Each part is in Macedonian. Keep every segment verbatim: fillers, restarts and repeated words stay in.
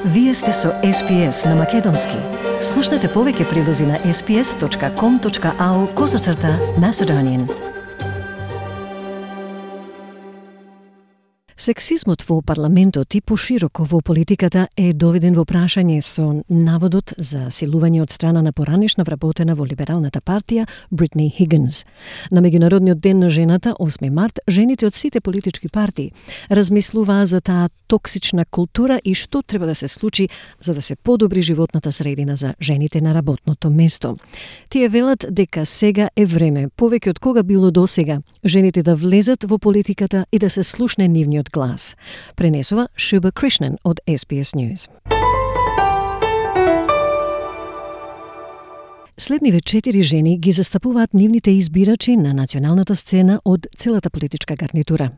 Вие сте со Ес Би Ес на Македонски. Слушнете повеќе прилози на ес би ес точка ком точка ау козацрта Macedonian. Сексизмот во парламентот и пошироко во политиката е доведен во прашање со наводот за силување од страна на поранешна вработена во либералната партија Бритни Хигинс. На Меѓународниот ден на жената, осми март, жените од сите политички партии размислуваа за таа токсична култура и што треба да се случи за да се подобри животната средина за жените на работното место. Тие велат дека сега е време, повеќе од кога било досега, жените да влезат во политиката и да се слушне нивниот глас. Пренесува Шуба Кришнан од Ес Би Ес News. Следниве четири жени ги застапуваат нивните избирачи на националната сцена од целата политичка гарнитура.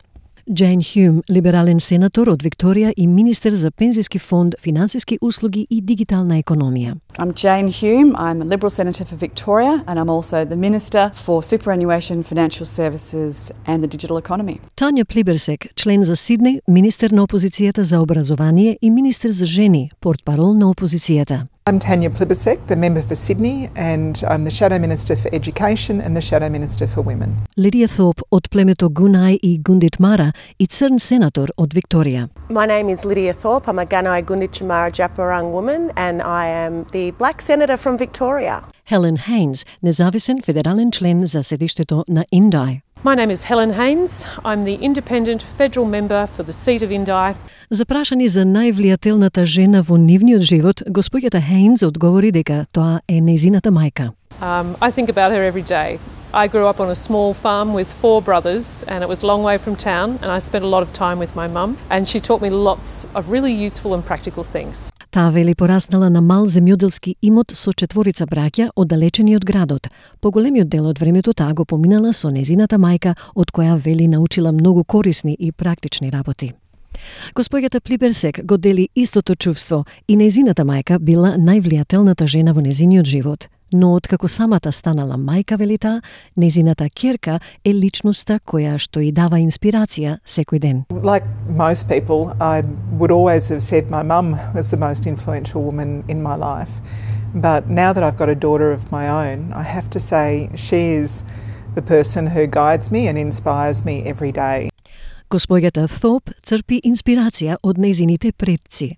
Джейн Хјум, либерален сенатор од Викторија и министер за пензиски фонд, финансиски услуги и дигитална економија. I'm Jane Hume. I'm a Liberal Senator for Victoria and I'm also the Minister for Superannuation, Financial Services and the Digital Economy. Тања Плиберсек, член за Сиднеј, министер на опозицијата за образование и министер за жени, портпарол на опозицијата. I'm Tanya Plibersek, the member for Sydney, and I'm the Shadow Minister for Education and the Shadow Minister for Women. Лидија Thorpe од племето Гунај и Гундитмара и црн сенатор од Викторија. My name is Lydia Thorpe. I'm a Gunai Gunditjmara Djapurrung woman and I am the Black Senator from Victoria. Helen Haynes, независен федерален член за седиштето на Индај. My name is Helen Haynes. I'm the independent federal member for the seat of Indi. Запрашани за највлијателната жена во нивниот живот, господјата Хейнс одговори дека тоа е нејзината мајка. Um, I think about her every day. I grew up on a small farm with four brothers and it was a long way from town and I spent a lot of time with my mum and she taught me lots of really useful and practical things. Таа вели пораснала на мал земјоделски имот со четворица браќа оддалечени од градот. Поголемиот дел од времето таа го поминала со нејзината мајка, од која вели научила многу корисни и практични работи. Господјата Плиберсек го дели истото чувство и нејзината мајка била највлијателната жена во нејзиниот живот. Но откако самата станала мајка, вели таа, нејзината ќерка е личноста која што и дава инспирација секој ден. Like most people, I would always have said my mum was the most influential woman in my life. But now that I've got a daughter of my own, I have to say she is the person who guides me and inspires me every day. Господјата Thorpe црпи инспирација од нејзините предци.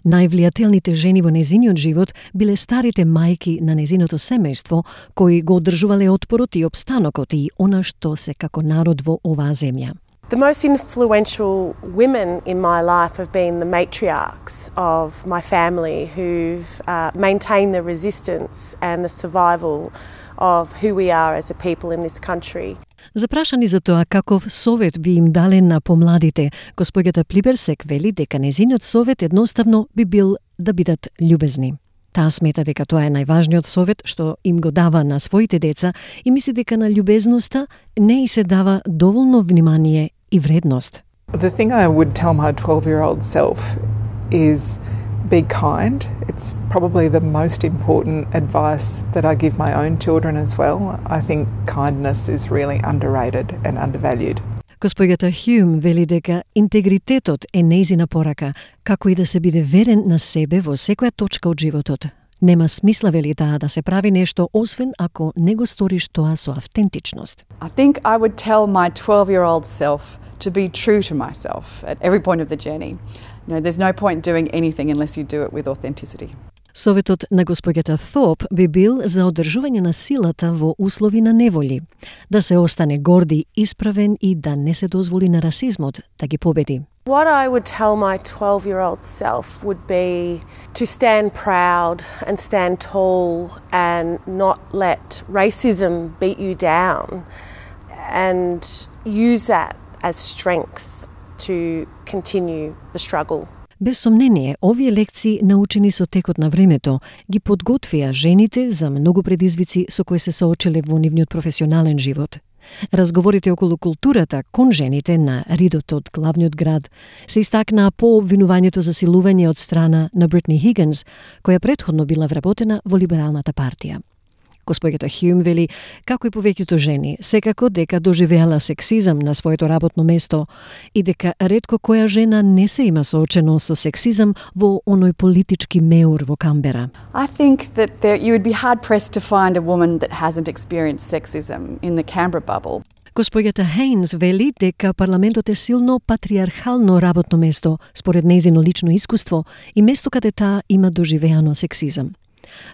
Највлијателните жени во нејзиниот живот биле старите мајки на нејзиното семејство, кои го одржувале отпорот и обстанокот и она што се како народ во оваа земја. The most influential women in my life have been the matriarchs of my family who've uh, maintained the resistance and the survival of who we are as a people in this country. Запрашани за тоа каков совет би им дале на помладите, господјата Плиберсек вели дека незиниот совет едноставно би бил да бидат љубезни. Таа смета дека тоа е најважниот совет што им го дава на своите деца и мисли дека на љубезноста не и се дава доволно внимание и вредност. The thing I would tell my twelve-year-old self is be kind. It's probably the most important advice that I give my own children as well. I think kindness is really underrated and undervalued. Господјата Хјум вели дека интегритетот е нејзина порака, како и да се биде верен на себе во секоја точка од животот. Нема смисла, вели таа, да се прави нешто освен ако не го сториш тоа со автентичност. I think I would tell my twelve-year-old self to be true to myself at every point of the journey. You know, there's no point doing anything unless you do it with authenticity. Советот на господјата Thorpe би бил за одржување на силата во услови на неволи, да се остане горди, исправен и да не се дозволи на расизмот да ги победи. What I would tell my twelve-year-old self would be to stand proud and stand tall and not let racism beat you down and use that as strength to continue the struggle. Без сомнение, овие лекции, научени со текот на времето, ги подготвија жените за многу предизвици со кои се соочиле во нивниот професионален живот. Разговорите околу културата кон жените на ридот од главниот град се истакнаа по обвинувањето за силување од страна на Бритни Хигинс, која претходно била вработена во либералната партија. Госпоѓата Хјум вели, како и повеќето жени, секако дека доживеала сексизам на своето работно место и дека ретко која жена не се има соочено со сексизам во оној политички меур во Камбера. I think that there, you would be hard pressed to find a woman that hasn't experienced sexism in the Canberra bubble. Госпоѓата Хейнс вели дека парламентот е силно патриархално работно место, според нејзино лично искуство и место каде таа има доживеано сексизам.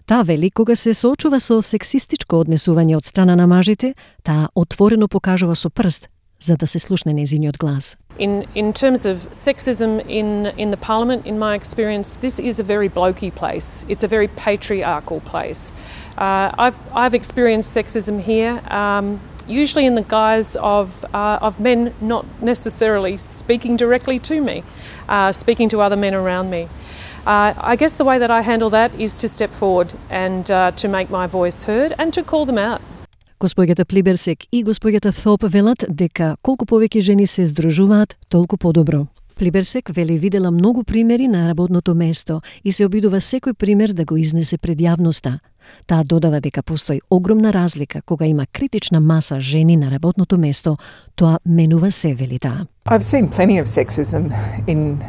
Таа вели, кога се соочува со сексистичко однесување од страна на мажите, таа отворено покажува со прст, за да се слушне нејзиниот глас. In, in terms of sexism in, in the parliament, in my experience, this is a very blokey place. It's a very patriarchal place. Uh, I've, I've experienced sexism here, um, usually in the guise of, uh, of men not necessarily speaking directly to me, uh, speaking to other men around me. Uh, I guess the way that I handle that is to step forward and uh, to make my voice heard and to call them out. Госпоѓата Плиберсек и госпоѓата Thope велат дека колку повеќе жени се здружуваат, толку подобро. Плиберсек вели видела многу примери на работното место и се обидува секој пример да го изнесе пред јавноста. Таа додава дека постои огромна разлика кога има критична маса жени на работното место, тоа менува се, вели таа. I've seen plenty of sexism in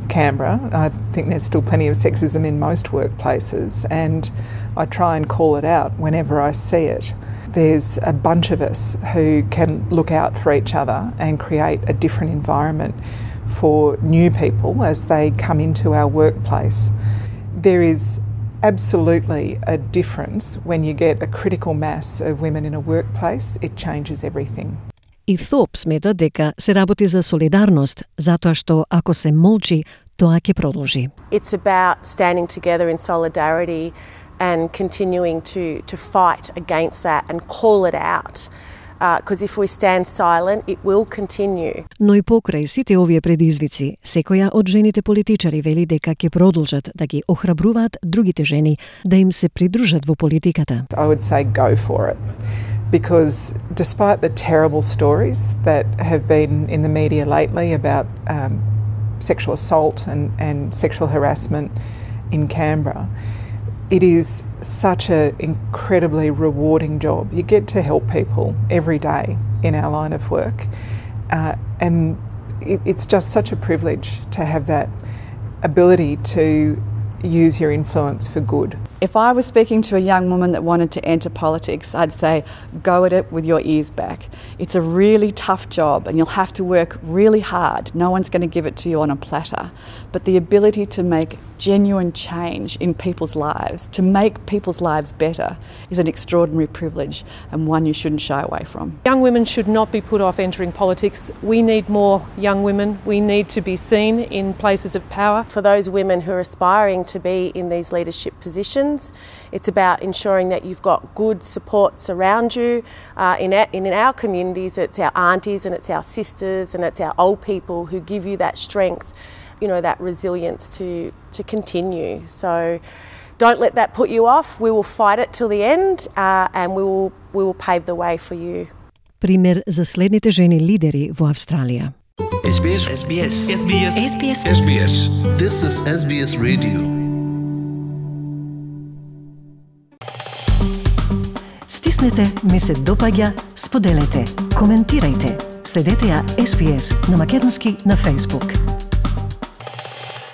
Canberra. I think there's still plenty of sexism in most workplaces, and I try and call it out whenever I see it. There's a bunch of us who can look out for each other and create a different environment for new people as they come into our workplace. There is absolutely a difference when you get a critical mass of women in a workplace. It changes everything. И Thope смета дека се работи за солидарност, затоа што ако се молчи, тоа ќе продолжи. It's about standing together in solidarity and continuing to, to fight against that and call it out. Because uh, if we stand silent, it will continue. Но и покрај сите овие предизвици, секоја од жените политичари вели дека ќе продолжат да ги охрабруваат другите жени да им се придружат во политиката. I would say go for it. Because despite the terrible stories that have been in the media lately about um, sexual assault and, and sexual harassment in Canberra, it is such an incredibly rewarding job. You get to help people every day in our line of work, uh, and it, it's just such a privilege to have that ability to use your influence for good. If I was speaking to a young woman that wanted to enter politics, I'd say, go at it with your ears back. It's a really tough job and you'll have to work really hard. No one's going to give it to you on a platter. But the ability to make genuine change in people's lives, to make people's lives better, is an extraordinary privilege and one you shouldn't shy away from. Young women should not be put off entering politics. We need more young women. We need to be seen in places of power. For those women who are aspiring to be in these leadership positions, it's about ensuring that you've got good supports around you. Uh, in, our, in our communities, it's our aunties and it's our sisters and it's our old people who give you that strength, you know, that resilience to, to continue. So don't let that put you off. We will fight it till the end uh, and we will, we will pave the way for you. Пример за следните жени лидери во Австралија. S B S. S B S. S B S. S B S. S B S. This is S B S Radio. Стиснете, ми се допаѓа, споделете, коментирајте. Следете ја S B S на македонски на Facebook.